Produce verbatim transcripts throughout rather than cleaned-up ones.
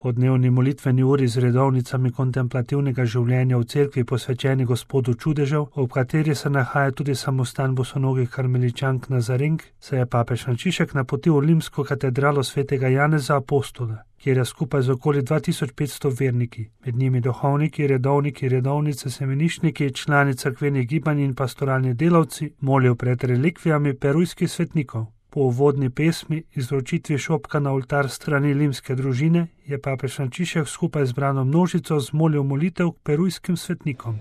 Po dnevni molitveni uri z redovnicami kontemplativnega življenja v cerkvi posvečeni Gospodu čudežev, ob kateri se nahaja tudi samostan bosonogih karmeličank Nazarink, se je papež Frančišek napotil v rimsko katedralo svetega Janeza Apostola, kjer je skupaj z okoli dva tisoč petsto verniki, med njimi duhovniki, redovniki, redovnice, semeniščniki, člani cerkvenih gibanj in pastoralni delavci, molil pred relikvijami perujskih svetnikov. Po uvodni pesmi, izročitvi šopka na oltar strani limske družine, je papež Frančišek skupaj z brano množico zmolil molitev k perujskim svetnikom.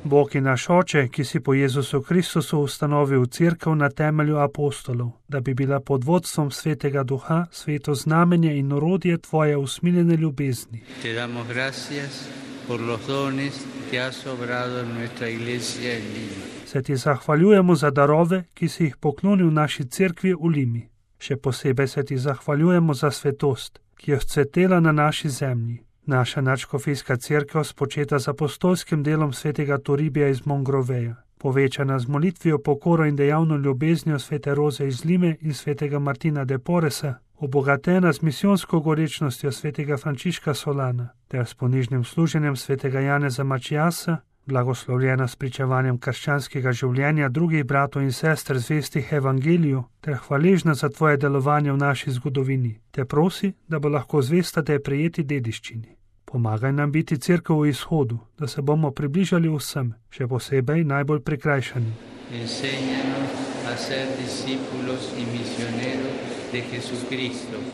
Bog je naš Oče, ki si po Jezusu Kristusu ustanovil cerkev na temelju apostolov, da bi bila pod vodstvom Svetega Duha sveto znamenje in orodje tvoje usmiljene ljubezni. Te damo gracias por los dones que has obrado en nuestra iglesia en Lima. Se ti zahvaljujemo za darove, ki si jih poklonil naši cerkvi v Limi. Še posebej se ti zahvaljujemo za svetost, ki je vzcvetela na naši zemlji. Naša nadškofijska cerkev, spočeta z apostolskim delom svetega Toribija iz Mongroveja, povečana z molitvijo, pokoro in dejavno ljubeznijo svete Roze iz Lime in svetega Martina de Poresa, obogatena z misijonsko gorečnostjo svetega Frančiška Solana, ter s ponižnim služenjem svetega Janeza Mačijasa, blagoslovljena s pričevanjem krščanskega življenja drugih bratov in sester zvestih evangeliju, ter hvaležna za tvoje delovanje v naši zgodovini, te prosi, da bo lahko zvesta te prijeti dediščini. Pomagaj nam biti cerkev v izhodu, da se bomo približali vsem, še posebej najbolj prikrajšanim.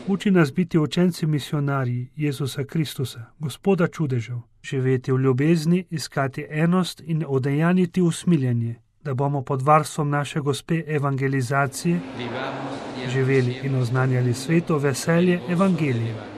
Uči nas biti učenci misionarji Jezusa Kristusa, Gospoda čudežev, živeti v ljubezni, iskati enost in odejaniti usmiljenje, da bomo pod varstvom naše Gospe evangelizacije živeli in oznanjali svetu veselje evangelija.